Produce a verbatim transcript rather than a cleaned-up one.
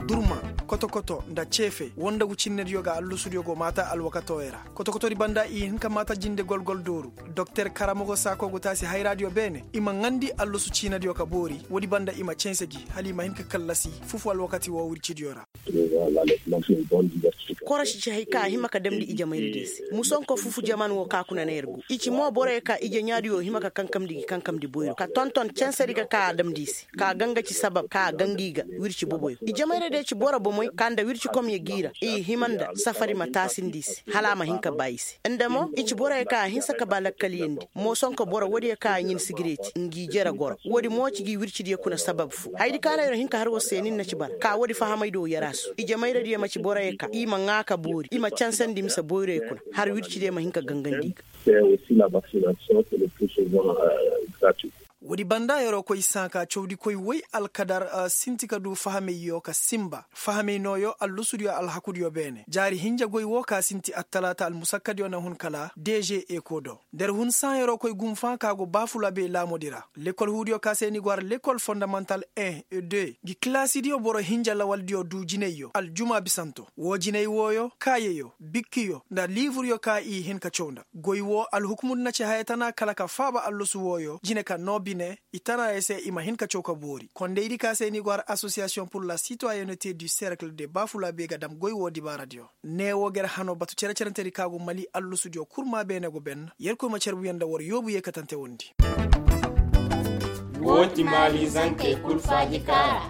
Durma, kotokoto nda ceefe wondagu cinnediyo ga allusudiyo go maata alwakatooyo ra. Kotokotodi banda i hin ka maata jinde golgol dooru. Doktor karamogo saako go taasi hayraadiyo beene i ma ŋandi allusu ciinadiyo ka boori. Woodi banda i ma cense gi hala i ma hin ka kallasi fufu alwakati woo wircidiyo ra. Korosi ci hay ka a hima ka damndi ijemayradiyo se. Musonko fufu jaman woo ka kuna na yer go i ci mo boroyo ka ijeɲaadiyo hima ka kankamndi gi kankamndi boyro ka tonton censedi ga ka a damndi i se, ka a ga nga ci sabab ka a ga nga i ga wirci boboyo. Ijemayradiyo ci boro bomoy ka nda wircikomyo g'i ra i hima nda safari ma taasindi i se hala a ma hin ka baa i se. Nda mo i ci boroyo ka a hinsa ka baa lakkaliyandi moosonko boro woodiyo ka a ɲin sigireti ngi jere goro. Woodi mo ci gi wircidiyo kuna sabab foo hayadi ka na yer hin ka har war se nin na ci bara ka woodi fahamaydiyo yaraasu ijemayradiyo ma ci boroyo ka i ma ŋaa ka boori i ma cansandi mise boyroyo kuna har wircidiyo ma hin ka gangandi i ga. Woodi banda yeroo koy sãa ka cawdikoy woy alkadar sinti ka duu fahameyyo ka sinba fahamey nooyo allusudiyo alhakudiyo beene jaari hinja goy woo ka sinti attalaata almusakkadiyo na hun kala deže eko do. Nda yer hun sãa yeroo koy gunfã ka go baafulabey laamoodi ra lekol huudiyo ka se ni go har lekol fondamantal un et deux ngi kilaasidiyo boro hinja lawaldiyo duu jinayyo aljuma bisanto woo jinay wooyo kaayeyo bikkiyo nda liiburyo ka i hin ka caw nda goy woo alhukumudi na ci haya tana kala ka faaba allusu wooyo jine ka noo bine i tana ya se i ma hin ka caw ka boori kondaydi ka se ni go har asosiyasiyoŋ pur la sitoyenete du serkle de baafulabey ga dam goy woo dibaaradiyo. Ne woo ga yer hanoo batu cere-cerentedi ka go mali allusudiyo kurmaa beene go ben yerkoy ma carbuyaŋ nda war yoobu yeekatante wondi. Woo ti maali zankey kul faaji kaara.